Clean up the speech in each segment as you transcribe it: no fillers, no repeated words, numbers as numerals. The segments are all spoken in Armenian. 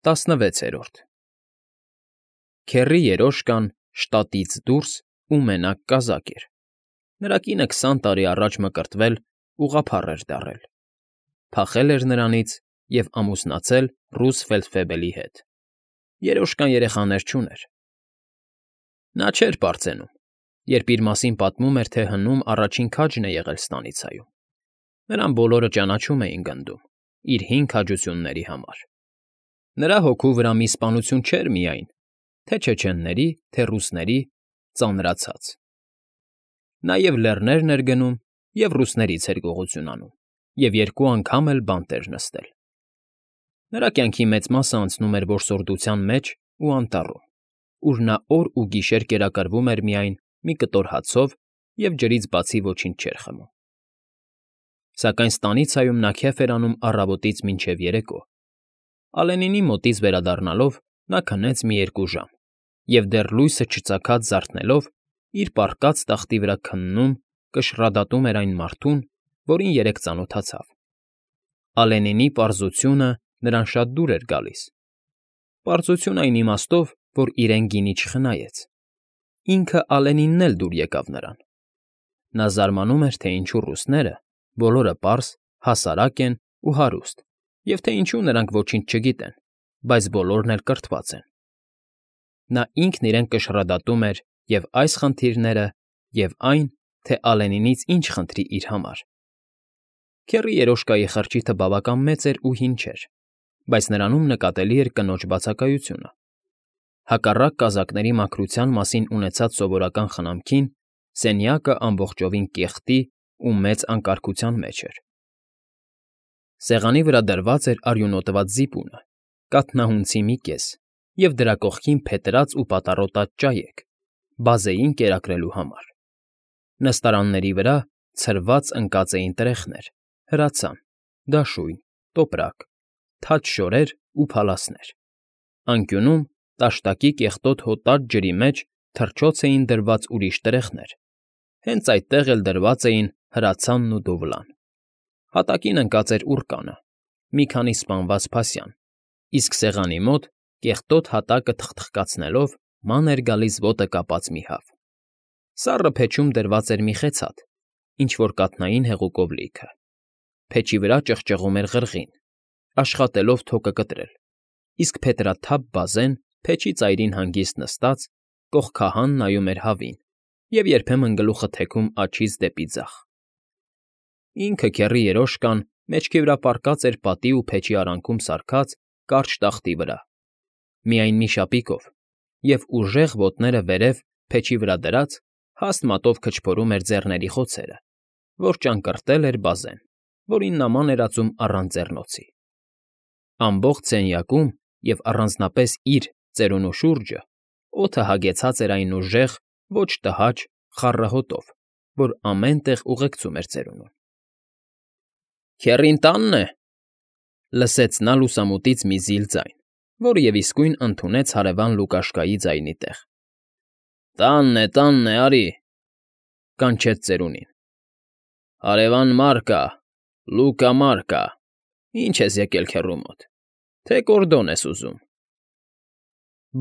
16-րդ Քեռի երոշկան շտատից դուրս ու մենակ կազակ էր. նրա կինը 20 տարի առաջ մկրտվել, ուղղափառ էր դառել, փախել էր նրանից և ամուսնացել ռուս ֆելդֆեբելի հետ. երոշկան երեխաներ չուներ. նա չէր պարծենում, երբ իր մասին պատմում էր, թե հնում առաջին քաջն է եղել ստանիցայում. նրան բոլորը ճանաչում էին գնդում իր հին քաջությունների համար. նրա հոգու վրա մի սպանություն չէր միայն, թե չեչենների, թե ռուսների, ծանրացած. նա և լեռներն էր գնում, և ռուսներից էր գողություն անում, և երկու անգամ էլ բանտ էր նստել. նրա կյանքի մեծ մասը անցնում էր որսորդության մեջ ու անտառում, ուր նա օր ու գիշեր կերակրվում էր միայն մի կտոր հացով և ջրից բացի ոչինչ չէր խմում. Սակայն ստանիցայում նա քեֆ էր անում առավոտից մինչև երեկո. Ալենինի մոտից վերադառնալով նա քնեց մի 2 ժամ և դեռ լույսը չծագած զարթնելով իր պառկած տախտի վրա քննում, կշռադատում էր այն մարդուն, որին երեկ ծանոթացավ. Ալենինի պարզությունը նրան շատ դուր էր գալիս. պարզություն այն իմաստով, որ իրեն գինի չխնայեց. ինքը Ալենինն էլ դուր եկավ նրան. նա զարմանում էր, թե ինչու ռուսները բոլորը պարզ, հասարակ են ու հարուստ, և թե ինչու նրանք ոչինչ չգիտեն, բայց բոլորն էլ կրթված են. նա ինքն իրեն կշռադատում էր և այս խնդիրները, և այն, թե Ալենինից ինչ խնդրի իր համար. Քեռի երոշկայի խրճիթը բավական մեծ էր ու հին չէր, բայց նրանում նկատելի էր կնոջ բացակայությունը. հակառակ կազակների մաքրության մասին ունեցած սովորական խնամքին, սենյակը ամբողջովին կեղտի ու մեծ անկարգության մեջ էր. սեղանի վրա դրված էր արյունոտված զիպունը, կաթնահունցի մի կես և դրա կողքին փետրած ու պատառոտած ճայեք, բազեին կերակրելու համար. նստարանների վրա ցրված ընկած էին տրեխներ, հրացան, դաշույն, տոպրակ, թաց շորեր ու փալասներ. անկյունում տաշտակի կեղտոտ հոտած ջրի մեջ թռչոց էին դրված ուրիշ տրեխներ, հենց այդտեղ էլ դրված էին հրացանն ու դովլան. հատակին ընկած էր ուռկանը, մի քանի սպանված փասյան, իսկ սեղանի մոտ, կեղտոտ հատակը թխթխկացնելով, ման էր գալիս ոտը կապած մի հավ. սառը փեչում դրված էր մի խեցաթ, ինչ֊որ կաթնային հեղուկով լիքը. փեչի վրա ճղճղում էր ղրղին, աշխատելով թոկը կտրել, իսկ փետրաթափ բազեն փեչի ծայրին հանգիստ նստած, կողքահան նայում էր հավին և երբեմն գլուխը թեքում աջից դեպի ձախ. ինքը քեռի երոշկան մեջքի վրա պառկած էր պատի ու փեչի արանքում սարքած կարճ տախտի վրա, միայն մի շապիկով, և ուժեղ ոտները վերև փեչի վրա դրած, հաստ մատով քչփորում էր ձեռների խոցերը, որ ճանկռտել էր բազեն, որին նման էր ածում առանց ձեռնոցի. ամբողջ սենյակում և առանձնապես իր ծերունու շուրջը օդը հագեցած էր այն ուժեղ, ոչ տհաճ, խառը հոտով, որ ամեն տեղ ուղեկցում էր ծերունուն. Քեռին տա՞նն է,֊ լսեց նա լուսամուտից մի զիլ ձայն, որը և իսկույն ընդունեց հարևան Լուկաշկայի ձայնի տեղ։ Տանն է, արի,֊ կանչեց ծերունին։ Հարևան Մարկա, Լուկա Մարկա, ի՞նչ ես եկել քեռու մոտ, թե կորդոն ես ուզում։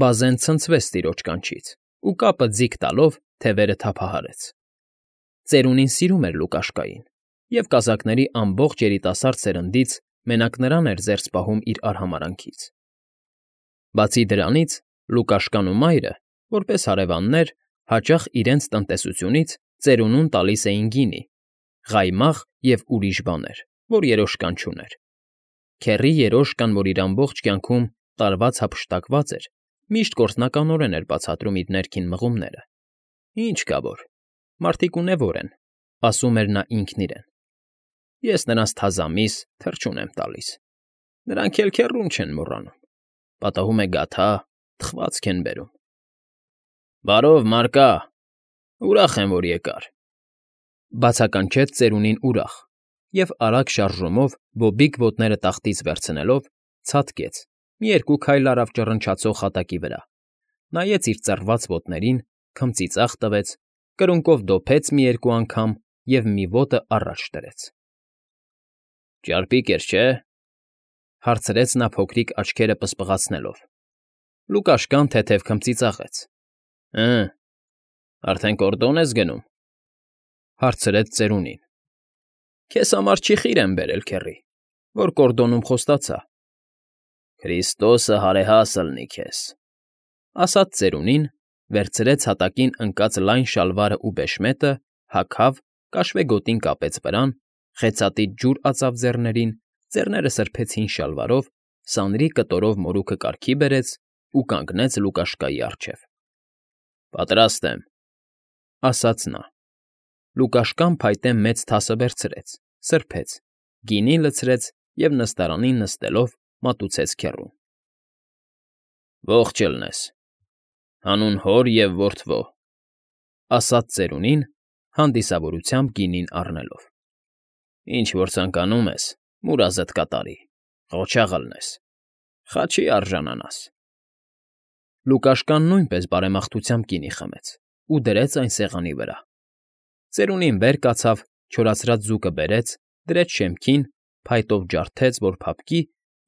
Բազեն ցնցվեց տիրոջ կանչից ու կապը ձիգ տալով թևերը թափահարեց. ծերունին սիրում էր Լուկաշկային, և կազակների ամբողջ երիտասարդ սերնդից մենակ նրան էր զերծ պահում իր արհամարհանքից։ Բացի դրանից, Լուկաշկան ու մայրը, որպես հարևաններ, հաճախ իրենց տնտեսությունից ծերունուն տալիս էին գինի, ղայմաղ և ուրիշ բաներ, որ երոշկան չուներ. քեռի երոշկան, որ իր ամբողջ կյանքում տարված հափշտակված էր, միշտ գործնականորեն էր բացատրում իր ներքին մղումները. ինչ կա որ, մարդիկ ունևոր են, ասում էր նա ինքն իրեն. ես նրանց թազամիս թռչուն եմ տալիս, նրանք էլ քեռուն չեն մոռանում, պատահում է գաթա, թխվածք են բերում։ Բարով, Մարկա, ուրախ եմ, որ եկար,֊ բացականչեց ծերունին ուրախ և արագ շարժումով բոբիկ ոտները տախտից վերցնելով, ցատկեց, մի 2 քայլ արավ ճռնչացող հատակի վրա, նայեց իր ծռված ոտներին, քմծիծաղ տվեց, կրունկով դոփեց մի 2 անգամ և մի ոտը առաջ դրեց։ Ճարպիկ էր, չէ՞։ Հարցրեց նա փոքրիկ աչքերը պսպղացնելով։ Լուկաշկան թեթև քմծիծաղեց։ Արդեն կորդոն ես գնում, հարցրեց ծերունին։ Քեզ համար չի խիր եմ բերել, քեռի, որ կորդոնում խոստացա։ Քրիստոսը հարեհաս ըլնի քեզ, ասաց ծերունին, վերցրեց հատակին ընկած լայն շալվարը ու բեշմետը, հագավ, կաշվեգոտին կապեց վրան, խեցատից ջուր ածավ ձեռներին, ձեռները սրբեցին շալվարով, սանրի կտորով մորուքը կարգի բերեց ու կանգնեց Լուկաշկայի առջև։ Պատրաստ եմ, ասաց նա։ Լուկաշկան փայտե մեծ թասը վերցրեց, սրբեց, գինի լցրեց և նստարանին նստելով մատուցեց քեռուն։ Ողջ ելնես, հանուն հոր և որդվո, ասաց ծերունին, հանդիսավորությամբ գինին առնելով։ Ինչ որ ցանկանում ես, մուրազդ կատարի, ղոչաղ ըլնես, խաչի արժանանաս։ Լուկաշկան նույնպես բարեմաղթությամբ գինի խմեց ու դրեց այն սեղանի վրա։ Ծերունին վեր կացավ, չորացրած ձուկը բերեց, դրեց շեմքին, փայտով ջարդեց, որ փափկի,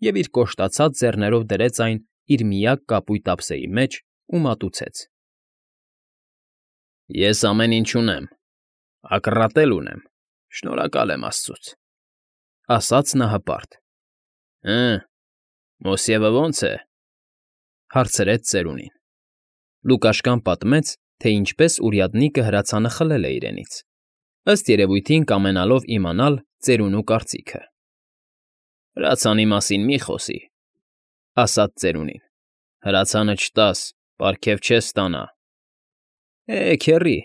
և իր կոշտացած ձեռներով դրեց այն իր միակ կապույտ ափսեի մեջ ու մատուցեց։ Ես ամեն ինչ ունեմ, ակռատել ունեմ, շնորհակալ եմ աստծուց, ասաց նա հպարտ։ Մոսիևը ո՞նց է, հարցրեց ծերունին։ Լուկաշկան պատմեց, թե ինչպես урядնիկը հրացանը խլել է իրենից, ըստ երևույթին կամենալով իմանալ ծերունու կարծիքը։ Հրացանի մասին մի խոսի, ասաց ծերունին։ Հրացանը չտաս, պարգև չես ստանա։ Քեռի,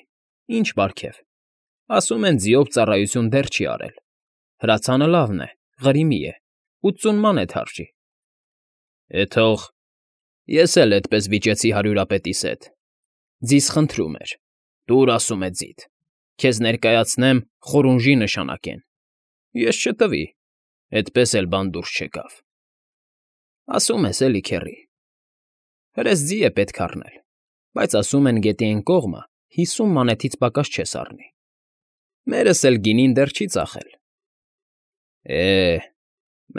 ինչ պարգև։ Ասում են ձիով ծառայություն դեռ չի արել։ Հրացանը լավն է, ղրիմի է, 80 մանեթ արժի։ Թող, ես էլ էդպես վիճեցի հարյուրապետիս հետ։ Ձիզ խնդրում էր, տուր, ասում է ձիդ, քեզ ներկայացնեմ խորունժի նշանակեն։ Ես չտվի, էդպես էլ բան դուրս չեկավ։ Ասում ես էլի, քեռի։ Հրես ձի է պետք առնել, բայց ասում են գետի այն կողմը 50 մանեթից պակաս չես առնի։ Մերս էլ գինին դեռ չի ծախել։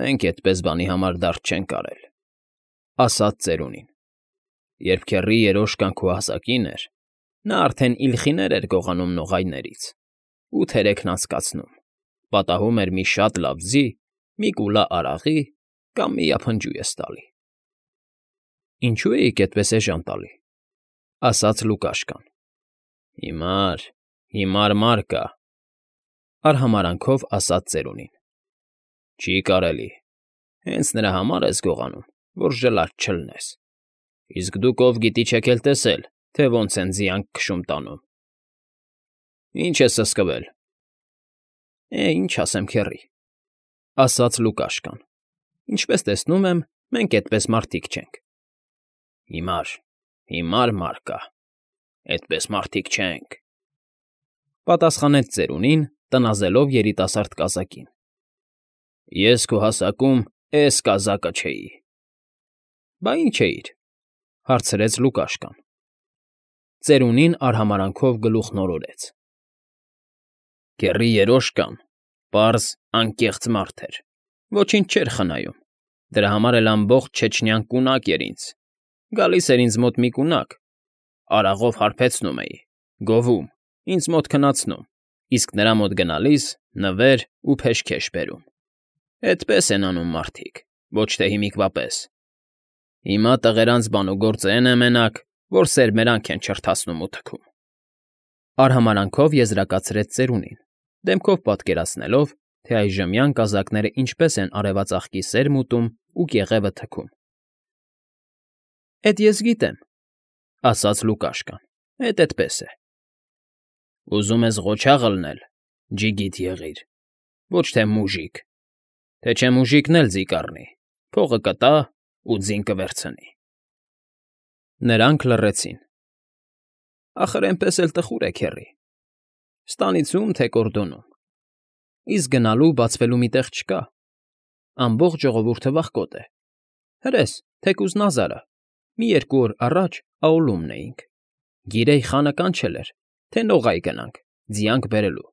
Մենք էդպես բանի համար դարդ չենք արել, ասաց ծերունին։ Երբ քեռի երոշկան քո հասակին էր, նա արդեն իլխիներ էր գողանում նողայներից ու թերեքն անցկացնում, պատահում էր մի շատ լավ ձի, մի կուլա արաղի կամ մի ափնջույ ես տալի։ Ինչո՞ւ էիք այդպես էժան տալի, ասաց Լուկաշկան։ Հիմար մար կա, արհամարանքով ասաց ծերունին։ Չի կարելի, հենց նրա համար ես գողանում, որ ժլատ չլնես։ Իսկ դուք ով գիտի չեք էլ տեսել, թե ոնց են ձիանք քշում տանում։ Ինչ ես սսկվել։ Ինչ ասեմ, քեռի, ասաց Լուկաշկան։ Ինչպես տեսնում եմ, մենք էդպես մարդիկ չենք։ Հիմար մար կա, էդպես մարդիկ չենք, պատասխանեց ծերունին, տնազելով երիտասարդ կազակին։ Ես քո հասակում էս կազակը չէի։ Բա ինչ էիր, հարցրեց Լուկաշկան։ Ծերունին արհամարանքով գլուխն օրորեց։ Քեռի երոշկան պարզ անկեղծ մարդ էր, ոչինչ չէր խնայում, դրա համար էլ ամբողջ չեչնյան կունակ էր ինձ, գալիս էր ինձ մոտ մի կունակ, արաղով հարբեցնում էի, գովում, ինձ մոտ քնացնում, իսկ նրա մոտ գնալիս նվեր ու փեշքեշ բերում։ Էդպես են անում մարդիկ, ոչ թե հիմիկվա պես։ Հիմա տղերանց բանուգործը են է մենակ, որ սերմերանք են չրթացնում ու թքում։ Արհամարանքով եզրակացրեց ծերունին, դեմքով պատկերացնելով, թե այժմյան կազակները ինչպես են արևածաղկի սերմ ուտում ու կեղևը թքում։ Էդ ես գիտեմ, ասաց Լուկաշկան, էդպես է։ Ուզում ես ղոչաղ ըլնել, ջիգիտ եղիր, ոչ թե մուժիկ, թե չէ մուժիկն էլ ձի կառնի, փողը կտա ու ձին կվերցնի։ Նրանք լռեցին։ Ախր էնպես էլ տխուր է, քեռի։ Ստանիցում թե կորդոնում։ Իսկ գնալու բացվելու մի տեղ չկա։ Ամբողջ ժողովուրդը վախկոտ է։ Հրես, թեկուզ Նազարը, մի 2 օր առաջ Աուլումն էինք։ Գիրեի խանը կանչել էր, թե նողայ գնանք, ձիանք բերելու։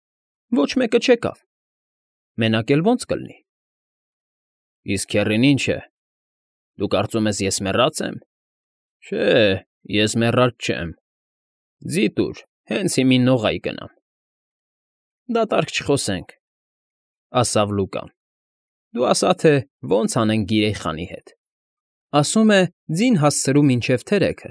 Ոչ մեկը չեկավ։ Մենակ էլ ո՞նց կլինի։ Իսկ քեռին ինչ է։ Դու կարծում ես ես մեռած եմ։ Չէ, ես մեռած չեմ։ Ձի տուր, հենց հիմին նողայի գնամ։ Դատարկ չխոսենք, ասավ Լուկան։ Դու ասա, թե ո՞նց անենք Գիրեի խանի հետ։ Ասում է ձին հասցրու մինչև թերեքը,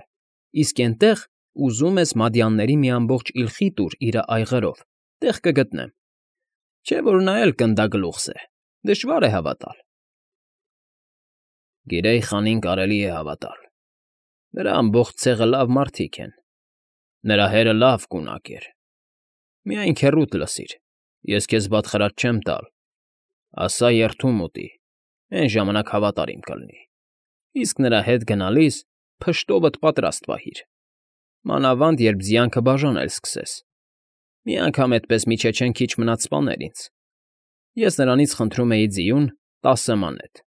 իսկ էնտեղ ուզում ես մադյանների մի ամբողջ իլխի տուր իրա այղերով, տեղ կգտնեմ։ Չէ՞ որ նա էլ կնդագլուխս է, դժվար է հավատալ։ Գիրեի խանին կարելի է հավատալ։ Նրա ամբողջ ցեղը լավ մարդիկ են։ Նրա հերը լավ կունակ էր։ Միայն քեռուդ լսիր, ես քեզ բաշխարած չեմ տալ։ Ասա երթում ուտի, այն ժամանակ հավատարիմ կլինի։ Իսկ նրա հետ գնալիս փշտովդ պատրաստ պահիր։ Մանավանդ երբ զյանքը բաժանել սկսես։ Մի անգամ այդպես միջեչեն քիչ մնաց սպաներ ինձ։ Ես նրանից խնդրում էի ձիուն 10 մանետ։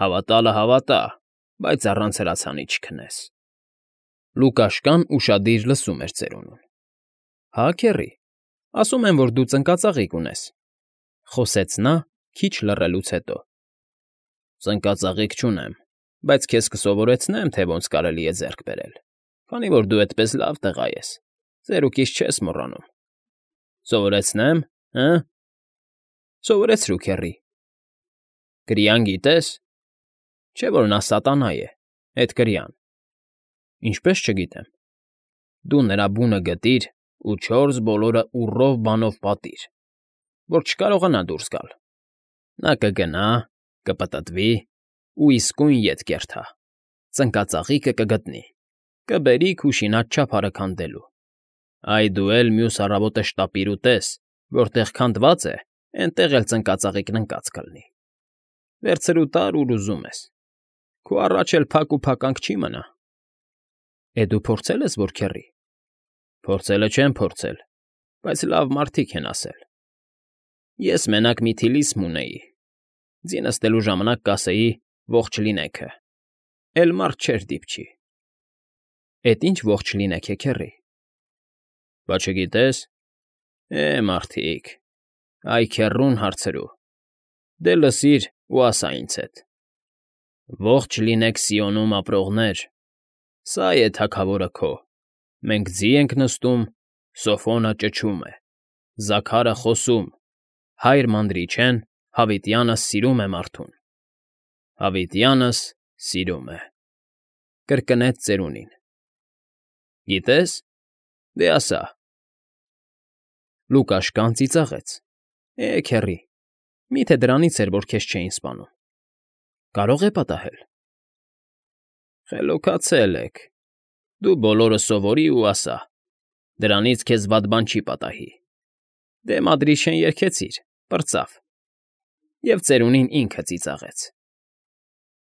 Հավատալը հավատա, բայց առանց հրացանի չքնես։ Լուկաշկան ուշադիր լսում էր ծերունուն։ Հա, քեռի, ասում եմ, որ դու ծնկածաղիկ ունես, խոսեց նա քիչ լռելուց հետո։ Ծնկածաղիկ չունեմ, բայց քեզ կսովորեցնեմ, թե ոնց կարելի է ձեռք բերել, քանի որ դու այդպես լավ տղա ես, ծերուկից չես մոռանում։ Սովորեցնեմ, հը՞։ Սովորեցրու, քեռի։ Կրիան գիտես։ Չէ՞ որ նա սատանա է, այդ կրիան։ Ինչպես չգիտեմ։ Դու նրա բունը գտիր ու 4 բոլորը ուռով բանով պատիր, որ չկարողանա դուրս գալ։ Նա կգնա, կպտտվի ու իսկույն ետ կերթա։ Ծնկածաղիկը կգտնի, կբերի քուշինատ չափարը քանդելու։ Այ դու էլ մյուս առավոտը շտապիր ու տես, որտեղ քանդված է, էնտեղ էլ ծնկածաղիկն ընկած կլինի։ Վերցրու տար, ուր ուզում ես։ Քո առաջ էլ փակ ու փականք չի մնա։ Դու փորձել ես, որ քեռի։ Փորձելը չեմ փորձել, բայց լավ մարդիկ են ասել։ Ես մենակ մի թիլիսմ ունեի։ Ձին ստելու ժամանակ կասեի ողջ լինեքը։ Էլ մարդ չէր դիպչի։ Էդ ինչ ողջ լինեք է, քեռի։ Բա չգիտես։ Մարդիկ, այ քեռուն հարցրու։ Դե լսիր ու ասա ինձ հետ։ Ողջ լինեք Սիոնում ապրողներ, սա է թագավորը քո։ Մենք ձի ենք նստում, Սոֆոնը ճչում է, Զաքարը խոսում, հայր մանդրիչեն, հավիտյանս սիրում է մարդուն։ Հավիտյանս սիրում է։ Կրկնեց ծերունին։ Գիտես։ Դե ասա։ Լուկաշկան ծիծաղեց։ Քեռի, միթե դրանից էր, որ քեզ չէին սպանում։ Կարող է պատահել։ Խելոքացել եք։ Դու բոլորը սովորի ու ասա։ Դրանից քեզ վատ բան չի պատահի։ Դե մադրիշեն երգեցիր, պրծավ։ Եվ ծերունին ինքը ծիծաղեց։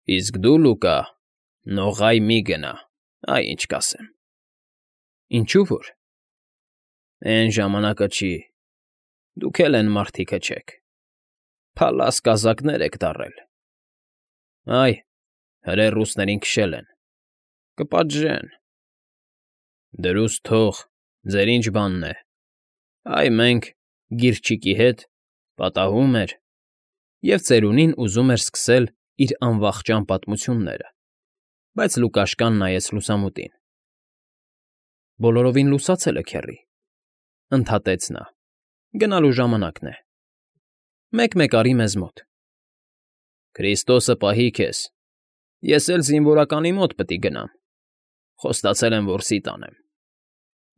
Իսկ դու, Լուկա, նողայ մի գնա, այ ինչ կասեմ։ Ինչու որ։ Էն ժամանակը չի։ Դուք էլ են մարդիկը չեք։ Փալաս կազակներ եք դառել։ Այ, հրե ռուսներին քշել են։ Կպատժեն։ Դրուստ թող, ձեր ինչ բանն է։ Այ մենք գիրչիկի հետ պատահում էր։ Եվ ծերունին ուզում էր սկսել իր անվախճան պատմությունները, բայց Լուկաշկան նայեց լուսամուտին։ Բոլորովին լուսացել է, քեռի, ընդհատեց նա։ Գնալու ժամանակն է։ Մեկ-մեկ արի մեզ մոտ։ Քրիստոսը պահի քեզ։ Ես էլ զինվորականի մոտ պիտի գնամ։ Խոստացել եմ, որ սի տանեմ։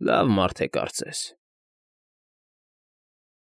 Լավ մարդ է կարծես։